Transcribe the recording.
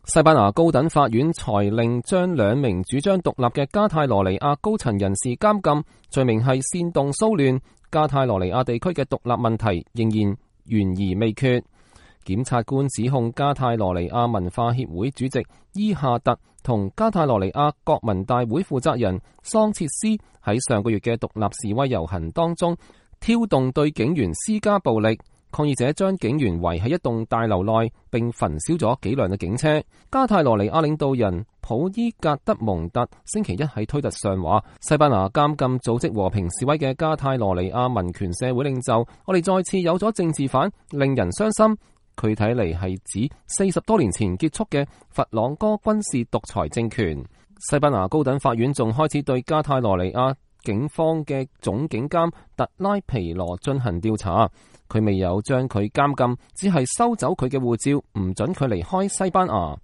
西班牙高等法院裁令將兩名主張獨立嘅加泰羅尼亞高層人士監禁，罪名係煽動騷亂。加泰羅尼亞地區嘅獨立問題仍然懸而未決。檢察官指控加泰羅尼亞文化協會主席伊夏特同加泰羅尼亞國民大會負責人桑切斯喺上個月嘅獨立示威遊行當中挑動對警員施加暴力。抗議者將警員圍喺一棟大樓內，並焚燒咗幾輛嘅警車。加泰羅尼亞領導人普伊格德蒙特星期一喺推特上話：西班牙監禁組織和平示威嘅加泰羅尼亞民權社會領袖，我哋再次有咗政治犯，令人傷心。佢睇嚟係指40多年前結束嘅佛朗哥軍事獨裁政權。西班牙高等法院仲開始對加泰羅尼亞警方嘅總警監特拉皮羅進行調查。佢未有將佢監禁，只係收走佢嘅護照，唔准佢離開西班牙。